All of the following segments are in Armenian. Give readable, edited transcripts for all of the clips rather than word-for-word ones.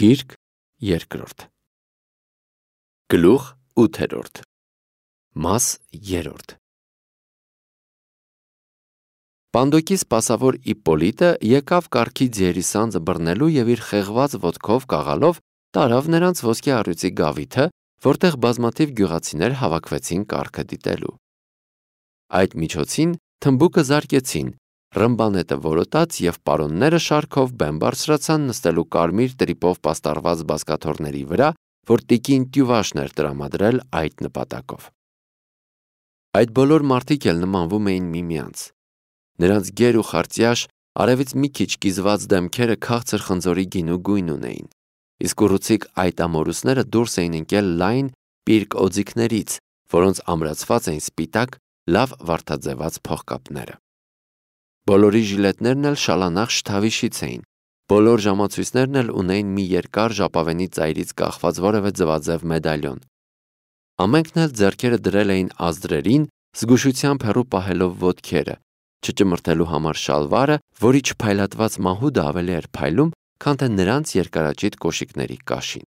Գիրք երկրորդ Գլուխ 8 Մաս 3 Պանդոկի սպասավոր Իպպոլիտը եկավ կառքի ձիերի սանձը բռնելու և իր խեղված ոտքով կաղալով տարավ նրանց ոսկե առյուծի գավիթը, որտեղ բազմաթիվ գյուղացիներ հավաքվեցին կառքը դիտելու։ Այդ միջոցին թմբուկը զարկեցին, ռմբանետը որոտաց և պարոնները շարքով բեմ բարձրացան նստելու կարմիր տրիպով պաստառված բազկաթոռների վրա, որ տիկին Տյուվաշն էր տրամադրել այդ նպատակով։ Այդ բոլոր մարդիկ էլ նմանվում էին միմյանց։ Նրանց գեր ու խարծյաշ, արևից մի քիչ կիզված դեմքերը քաղցր խնձորի գինու գույն ունեին, իսկ ուռուցիկ այդ ամորուսները դուրս էին ընկել լայն պիրկ օձիքներից, որոնց ամրացված էին սպիտակ, լավ վարդաձևած փողկապները։ Բոլորի ժիլետներն էլ շալանախ շթավիշից էին, բոլոր ժամացույցներն էլ ունեին մի երկար ժապավենի ծայրից կախված որևէ ձվաձև մեդալյոն։ Ամենքն էլ ձեռքերը դրել էին ազդրերին, զգուշությամբ հեռու պահելով ոտքերը, չճմրթելու համար շալվարը, որի չփայլատված մահուդը ավելի էր փայլում, քան թե նրանց երկարաճիտ կոշիկների կաշին։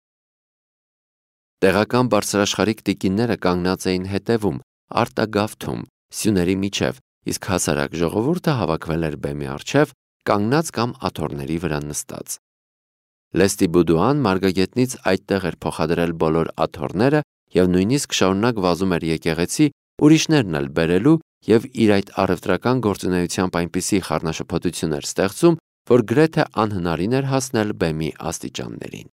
Տեղական բարձրաշխարհիկ տիկինները կանգնած էին հետևում, արտագավթում, սյուների միջև, իսկ հասարակ ժողովուրդը հավաքվել էր բեմի առջև, կանգնած կամ աթոռների վրա նստած։ Լեստի Բուդուան մարգագետնից այդտեղ էր փոխադրել բոլոր աթոռները և նույնիսկ շարունակ վազում էր եկեղեցի, ուրիշներն էլ բերելու և իր այդ առևտրական գործունեությամբ այնպիսի խառնաշփոթություն էր ստեղծում, որ գրեթե անհնարին էր հասնել բեմի աստիճաններին։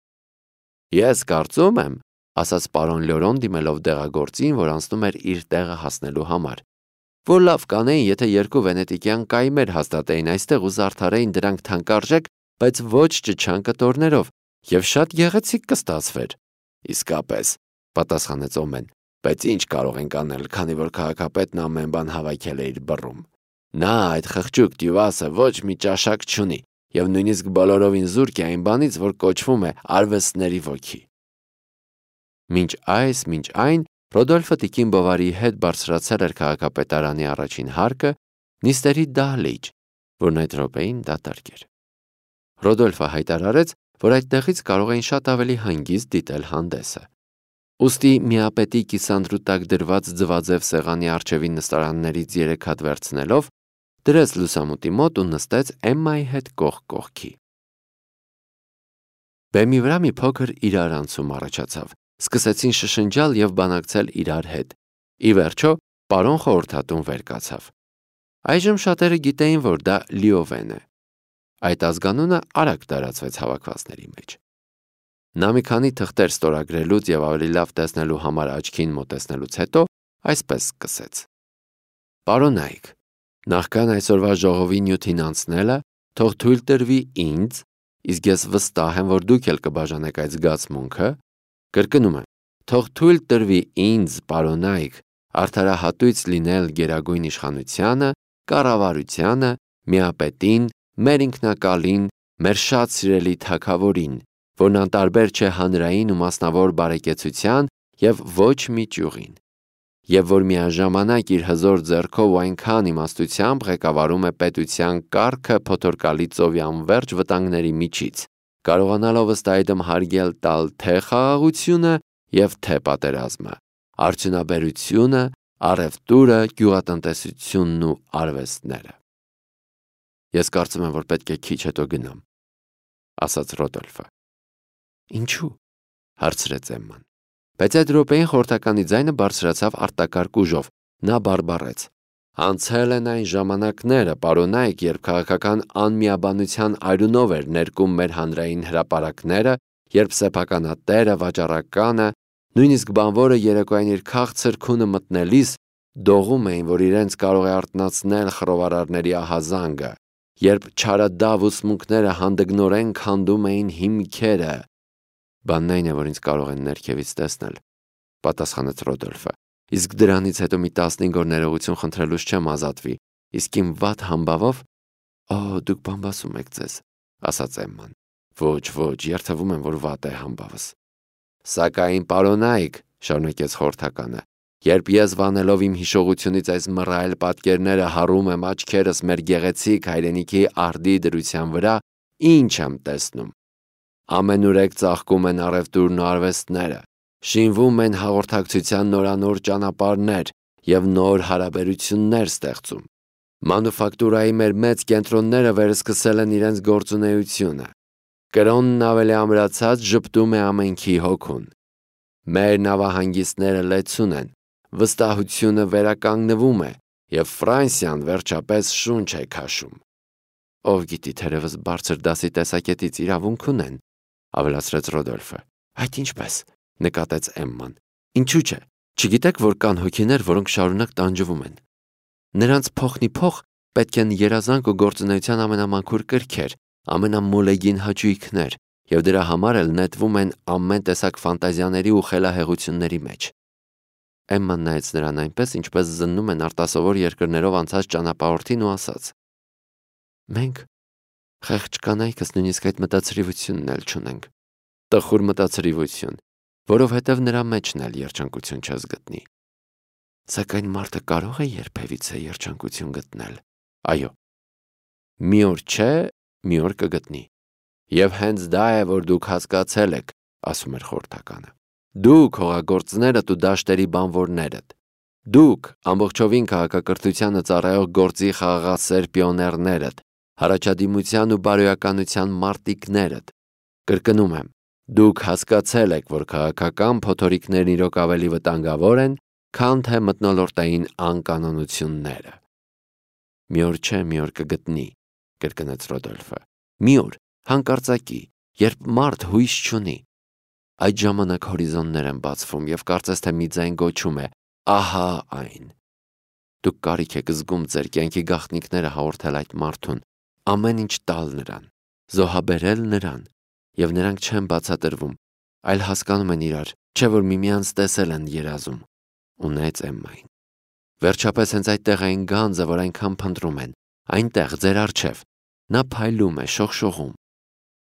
«Ես կարծում եմ», ասաց պարոն Լյորոն դիմելով դեղագործին, որ անցնում էր իր տեղը հասնելու համար, որ լավ կանեին, եթե երկու վենետիկյան կայմեր հաստատեին այստեղ ու զարդարեին դրանք թանկարժեք, բայց ոչ ճչան կտորներով, և շատ գեղեցիկ կստացվեր։ «Իսկապես», պատասխանեց Օմեն, բայց ինչ կարող ենք անել, քանի որ քաղաքապետն ամեն բան հավաքել է իր բռում։ Նա այդ խղճուկ Տյուվասը ոչ մի ճաշակ չունի և նույնիսկ բոլորովին զուրկ է այն բանից, որ կոչվում է արվեստների ոգի։ Մինչ այն Ռոդոլֆը տիկին Բովարիի հետ բարձրացել էր քաղաքապետարանի առաջին հարկը, նիստերի դահլիճ, որն այդ րոպեին դատարկ էր։ Ռոդոլֆը հայտարարեց, որ այդտեղից կարող էին շատ ավելի հանգիստ դիտել հանդեսը։ Ուստի միապետի կիսանդրու տակ դրված ձվաձև սեղանի առջևի նստարաններից 3 հատ վերցնելով, դրեց լուսամուտի մոտ ու նստեց Էմմայի հետ կողք կողքի։ Բեմի վրա մի փոքր իրարանցում առաջացավ, սկսեցին շշնջալ և բանակցել իրար հետ։ Ի վերջո, պարոն խորհրդատուն վեր կացավ։ Այժմ շատերը գիտեին, որ դա Լիովեն է։ Այդ ազգանունը արագ տարածվեց հավաքվածների մեջ։ Նա մի քանի թղթեր ստորագրելուց և ավելի լավ տեսնելու համար աչքին մոտեցնելուց հետո այսպես սկսեց. «Պարոնայք, նախքան այսօրվա ժողովի նյութին անցնելը, թող թույլ տրվի ինձ, իսկ ես վստահ եմ, որ դուք էլ կբաժանեք այդ զգացմունքը, կրկնում եմ, թող թույլ տրվի ինձ, պարոնայք, արդարահատույց լինել գերագույն իշխանությանը, կառավարությանը, միապետին, մեր ինքնակալին, մեր շատ սիրելի թագավորին, որն անտարբեր չէ հանրային ու մասնավոր բարեկեցության և ոչ մի ճյուղին, և որ միաժամանակ իր հզոր ձեռքով ու այնքան իմաստությամբ ղեկավարում է պետության կառքը փոթորկալի ծովի անվերջ վտանգների միջից, կարողանալով ըստ այդմ հարգել տալ թե խաղաղությունը և թե պատերազմը, արդյունաբերությունը, առևտուրը, գյուղատնտեսությունն ու արվեստները»։ «Ես կարծում եմ, որ պետք է քիչ հետո գնամ», ասաց Ռոդոլֆը։ «Ինչու՞», հարցրեց Էմման։ Բայց այդ րոպեին խորհրդականի ձայնը բարձրացավ արտակարգ ուժով։ Նա բարբառեց. «Անցել են այն ժամանակները, պարոնայք, երբ քաղաքական անմիաբանության արյունով էր ներկում մեր հանրային հրապարակները, երբ սեփականատերը, վաճառականը, նույնիսկ բանվորը երեկոյան իր քաղցր քունը մտնելիս դողում էին, որ իրենց կարող է արթնացնել խռովարարների ահազանգը, երբ չարադավ ուսմունքները հանդգնորեն քանդում էին հիմքերը»։ «Բանն այն է, որ ինձ կարող են ներքևից տեսնել», պատասխանեց Ռոդոլֆը, «իսկ դրանից հետո մի 15 օր ներողություն խնդրելուց չեմ ազատվի, իսկ իմ վատ համբավով»։ «Օ, դուք բամբասում եք ձեզ», ասաց Էմման։ «Ոչ, երդվում եմ, որ վատ է համբավս»։ «Սակայն, պարոնայք», շարունակեց խորհրդականը, «երբ ես վանելով իմ հիշողությունից այս մռայլ պատկերները հառում եմ աչքերս մեր գեղեցիկ հայրենիքի արդի դրության վրա, ինչ եմ տեսնում։ ամենուրեք ծաղկում են առևտուրն ու արվեստները, շինվում են հաղորդակցության նորանոր ճանապարհներ և նոր հարաբերություններ ստեղծում։ Մանուֆակտուրայի մեր մեծ կենտրոնները վերսկսել են իրենց գործունեությունը։ Կրոնն ավելի ամրացած ժպտում է ամենքի հոգուն։ Մեր նավահանգիստները լեցուն են, վստահությունը վերականգնվում է և Ֆրանսիան վերջապես շունչ է քաշում։ Ով գիտի, թերևս բարձր դասի տեսակետից իրավունք ունեն, ավելացրեց Ռոդոլֆը։ Այդ ինչպես, նկատեց Էմման։ Ինչու՞ չէ, չգիտեք, որ կան հոգիներ, որոնք շարունակ տանջվում են։ Նրանց փոխնի փոխ պետք են երազանք ու գործունեության ամենամաքուր կրքեր, ամենամոլեգին հաճույքներ, և դրա համար էլ նետվում են ամեն տեսակ ֆանտազիաների ու խելահեղությունների մեջ։ Էմման նայեց նրան այնպես, ինչպես զննում են արտասովոր երկրներով անցած ճանապարհորդին ու ասաց. Մենք խեղճ կանայքս նույնիսկ այդ մտածրիվությունն էլ չունենք։ Տխուր մտածրիվություն, որովհետև նրա մեջն էլ երջանկություն չես գտնի։ Սակայն մարդը կարող է երբևիցե երջանկություն գտնել։ Այո։ Մի օր չէ, մի օր կգտնի։ Եվ հենց դա է, որ դուք հասկացել եք, ասում էր խորհրդականը։ Դուք հողագործներդ ու դաշտերի բանվորներդ։ Դուք ամբողջովին քաղաքակրթությանը ծառայող գործի խաղաղասեր պիոներներդ, հարաճադիմության ու բարոյականության մարտիկներդ։ Կրկնում եմ, դուք հասկացել եք, որ քաղաքական փոթորիկներն իրոք ավելի վտանգավոր են, քան թե մթնոլորտային անկանոնությունները։ Մի օր չէ, մի օր կգտնի, կրկնեց Ռոդոլֆը։ Մի օր, հանկարծակի, երբ մարդ հույս չունի։ Այդ ժամանակ հորիզոններ են բացվում և կարծես թե մի ձայն գոչում է. ահա այն։ Դուք կարիք եք զգում ձեր կյանքի գաղտնիքները հաղորդել այդ մարդուն, ամեն ինչ տալ նրան, զոհաբերել նրան, և նրանք չեն բացատրվում, այլ հասկանում են իրար, չէ որ միմյանց տեսել են երազում, ու նայեց Էմմային։ Վերջապես հենց այդտեղ այն գանձը, որ այնքան փնտրում են, այնտեղ ձեր առջև, նա փայլում է, շողշողում,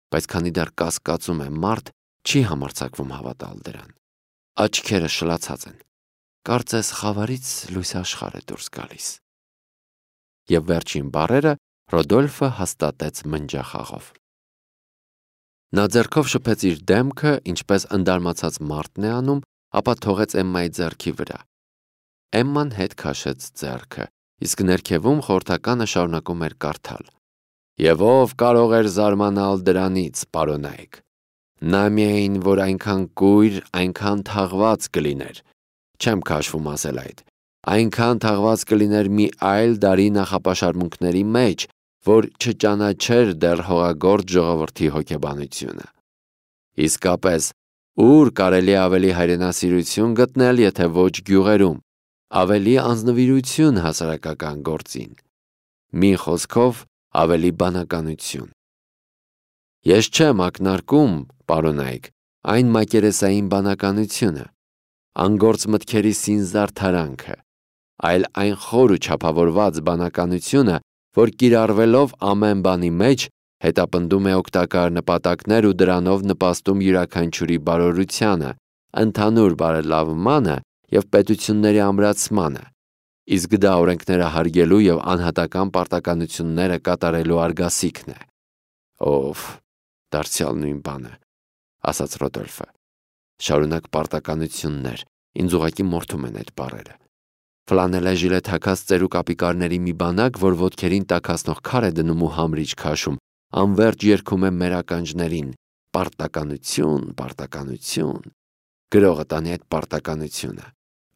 բայց քանի դեռ կասկածում է մարդ, չի համարձակվում հավատալ դրան։ Աչքերը շլացած են, կարծես խավարից լույս աշխարհ է դուրս գալիս։ Եվ վերջին բառերը Ռոդոլֆը հաստատեց մնջախաղով։ Նա ձեռքով շփեց իր դեմքը, ինչպես ընդարմացած մարդն է անում, ապա թողեց Էմմայի ձեռքի վրա։ Էմման հետ քաշեց ձեռքը, իսկ ներքևում խորհրդականը շարունակում էր կարդալ. Եվ ով կարող էր զարմանալ դրանից, պարոնայք։ Նա միայն, որ այնքան կույր, այնքան թաղված կլիներ, չեմ քաշվում ասել այդ, այնքան թաղված կլիներ մի այլ դարի նախապաշարմունքների մեջ, որ չճանաչեր դեռ հողագործ ժողովրդի հոգեբանությունը։ Իսկապես, ուր կարելի ավելի հայրենասիրություն գտնել, եթե ոչ գյուղերում, ավելի անձնվիրություն հասարակական գործին, մի խոսքով ավելի բանականություն։ Ես չեմ ակնարկում, պարոնայք, այն մակերեսային բանականությունը, անգործ մտքերի սինզարդարանքը, այլ այն խոր ու չափավորված բանականությունը, որ կիրառվելով ամեն բանի մեջ հետապնդում է օգտակար նպատակներ ու դրանով նպաստում յուրաքանչյուրի բարօրությանը, ընդհանուր բարելավմանը և պետությունների ամրացմանը, իսկ դա օրենքները հարգելու և անհատական պարտականությունները կատարելու արգասիքն է։ Ով, դարձյալ նույն բանը, ասաց Ռոդոլֆը։ Շարունակ պարտականություններ, ինձ ուղղակի մորթում են այդ բառերը։ Ֆլանելե ժիլետ հագած ծերուկ ապիկարների մի բանակ, որ ոտքերին տաքացնող քար է դնում ու համրիչ քաշում, անվերջ երգում է մեր ականջներին. պարտականություն, պարտականություն։ Գրողը տանի այդ պարտականությունը։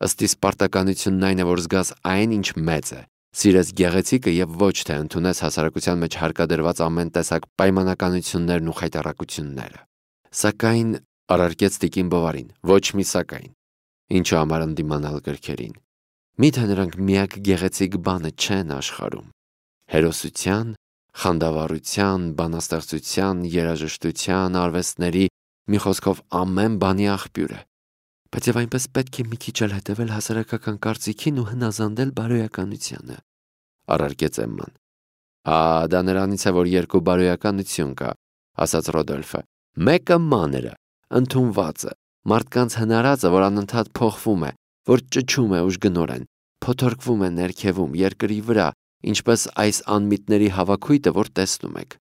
Ըստ իս պարտականությունն այն է, որ զգաս այն, ինչ մեծ է, սիրես գեղեցիկը և ոչ թե ընդունես հասարակության մեջ հարկադրված ամեն տեսակ պայմանականություններն ու խայտառակությունները։ Սակայն, առարկեց տիկին Բովարին, ոչ մի սակայն։ Ինչու համար ընդդիմանալ կրքերին։ Միթե նրանք միակ գեղեցիկ բանը չեն աշխարհում։ Հերոսության, խանդավառության, բանաստեղծության, երաժշտության, արվեստների, մի խոսքով ամեն բանի աղբյուր է։ Բայց եւ այնպես պետք է մի քիչ էլ հետևել հասարակական կարծիքին ու հնազանդել բարոյականությանը, առարկեց Էմման։ Դա նրանից է, որ երկու բարոյականություն կա, ասաց Ռոդոլֆը։ Մեկը մանրը, ընդունվածը, մարդկանց հնարածը, որ անընդհատ փոխվում է, որ ճչում է ուժգնորեն, փոթորկվում է ներքևում, երկրի վրա, ինչպես այս անմիտների հավաքույթը, որ տեսնում եք։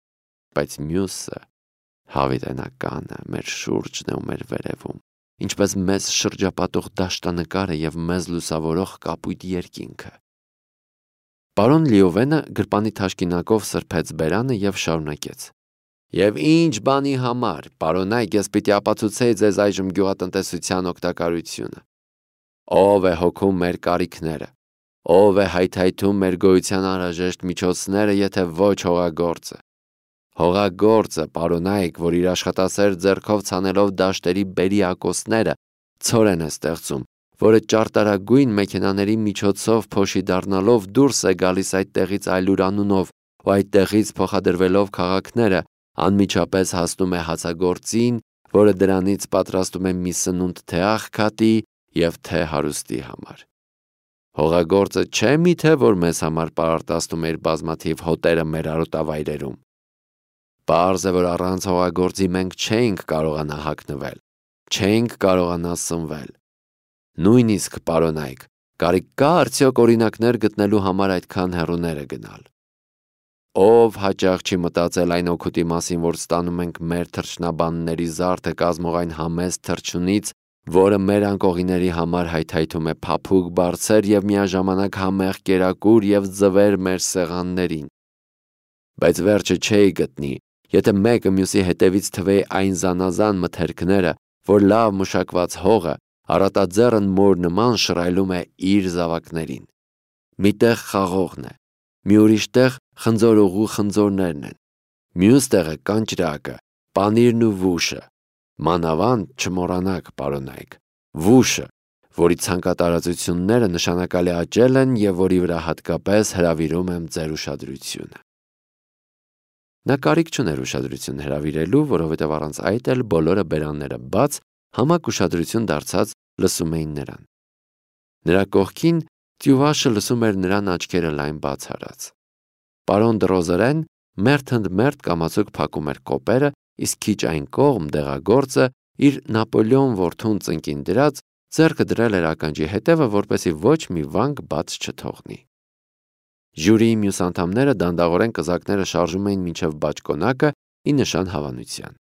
Բայց մյուսը, Հավիտենականը մեր շուրջն է ու մեր վերևում, ինչպես մեզ շրջապատող դաշտանկարը և մեզ լուսավորող կապույտ երկինքը։ Պարոն Լիովենը գրպանի թաշկինակով սրբեց բերանը և շարունակեց. «Եվ ինչ բանի համար, պարոնայք, ես պիտի ապացուցեի ձեզ այժմ գյուղատնտեսության օգտակարությունը։ Ով է հոգում մեր կարիքները, ով է հայթայթում մեր գոյության անհրաժեշտ միջոցները, եթե ոչ հողագործը։ Հողագործը, պարոնայք, որ իր աշխատասեր ձեռքով ցանելով դաշտերի բերի ակոսները, ցորեն է ստեղծում, որը ճարտարագույն մեքենաների միջոցով փոշի դառնալով դուրս է գալիս այդ տեղից այլուր անունով, ու այդ տեղից փոխադրվելով քաղաքները, անմիջապես հասնում է հացագործին, որը դրանից պատրաստում է մի սնունդ թե աղքատի և թե հարուստի համար։ Հողագործը չէ՞ միթե, որ մեզ համար պարարտացնում է իր բազմաթիվ հոտերը մեր արոտավայրերում։ Պարզ է, որ առանց հողագործի մենք չէինք կարողանա հագնվել, չէինք կարողանա սնվել։ Նույնիսկ, պարոնայք, կարիք կա արդյոք օրինակներ գտնելու համար այդքան հեռուները գնալ։ Ով հաճախ չի մտածել այն օգուտի մասին, որ ստանում ենք մեր թռչնաբանների զարդը կազմող այն համեստ թռչունից, որը մեր անկողիների համար հայթայթում է փափուկ բարձր և միաժամանակ համեղ կերակուր և ձվեր մեր սեղաններին։ Բայց վերջը չէի գտնի, եթե մեկը մյուսի հետևից թվեի այն զանազան մթերքները, որ լավ մշակված հողը առատաձեռն մոր նման շռայլում է իր զավակներին։ Մի տեղ խաղողն է, մի ուրիշ տեղ խնձորուղու խնձորներն են, մյուս տեղը կանճրակը, պանիրն ու վուշը, մանավանդ չմոռանաք, պարոնայք, վուշը, որի ցանկատարածությունները նշանակալի աճել են և որի վրա հատկապես հրավիրում եմ ձեր ուշադրությունը։ Նա կարիք չուներ ուշադրություն հրավիրելու, որովհետև առանց այդ էլ բոլորը բերանները բաց, համակ ուշադրություն դարձած լսում էին նրան։ Նրա կողքին Տյուվաշը լսում էր նրան աչքերը լայն բաց արած։ Պարոն Դրոզերեն մերթ ընդ մերթ կամացուկ փակում էր կոպերը, իսկ քիչ այն կողմ դեղագործը իր Նապոլեոն որդուն ծնկին դրած ձեռքը դրել էր ականջի հետևը, որպեսզի ոչ մի վանք բաց չթողնի։ Ժյուրիի մյուս անդամները դանդաղորեն կզակները շարժում էին մինչև բաճկոնակը ի նշան հավանության։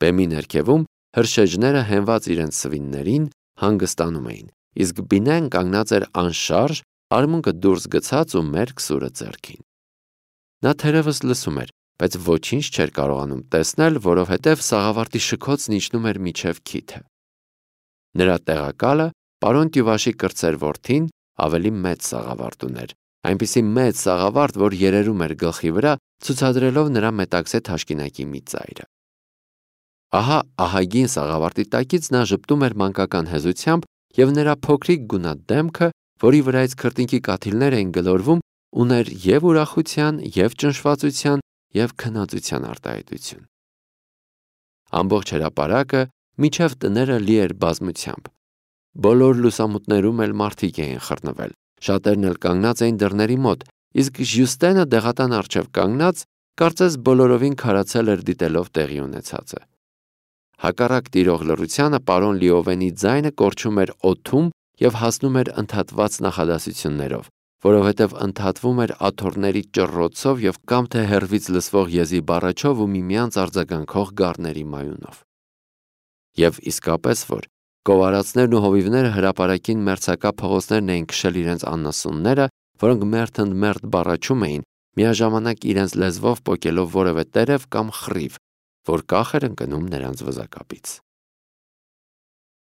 Բեմի ներքևում հրշեջները հենված իրենց սվիններին հանգստանում էին, իսկ Բինեն կանգնած էր անշարժ, արմունկը դուրս գցած ու մերկ սուրը ձեռքին։ Նա թերևս լսում էր, բայց ոչինչ չէր կարողանում տեսնել, որովհետև սաղավարտի շքոցն իջնում էր մինչև քիթը։ Նրա տեղակալը պարոն Տյուվաշի կրտսեր որդին ավելի մեծ սաղավարտ ուներ, այնպիսի մեծ սաղավարտ, որ երերում էր գլխի վրա, ցուցադրելով նրա մետաքսե թաշկինակի մի ծայրը։ Ահա ահագին սաղավարտի տակից նա ժպտում էր մանկական հեզությամբ, և նրա փոքրիկ գունատ դեմքը, որի վրայից քրտինքի կաթիլներ էին գլորվում, ուներ և ուրախության, և ճնշվածության, և քնածության արտահայտություն։ Ամբողջ հրապարակը մինչև տները լի էր բազմությամբ։ Բոլոր լուսամուտներում էլ մարդիկ էին խռնվել, շատերն էլ կանգնած էին դռների մոտ, իսկ Ժյուստենը դեղատան առջև կանգնած, կարծես բոլորովին քարացել էր դիտելով տեղի ունեցածը։ Հակառակ տիրող լռությանը պարոն Լիովենի ձայնը կորչում էր օդում և հասնում էր ընդհատված նախադասություններով, որովհետև ընդհատվում էր աթոռների ճռռոցով և կամ թե հեռվից լսվող եզի բառաչով ու միմյանց արձագանքող գառների մայունով։ Եվ իսկապես որ գովարացներն ու հովիվները հրապարակին մերձակա փողոցներն էին քշել իրենց անասունները, որոնք մերթ ընդ մերթ բառաչում էին, միաժամանակ իրենց լեզվով պոկելով որևէ տերև կամ խռիվ, որ կախ էր ընկնում նրանց վզակապից։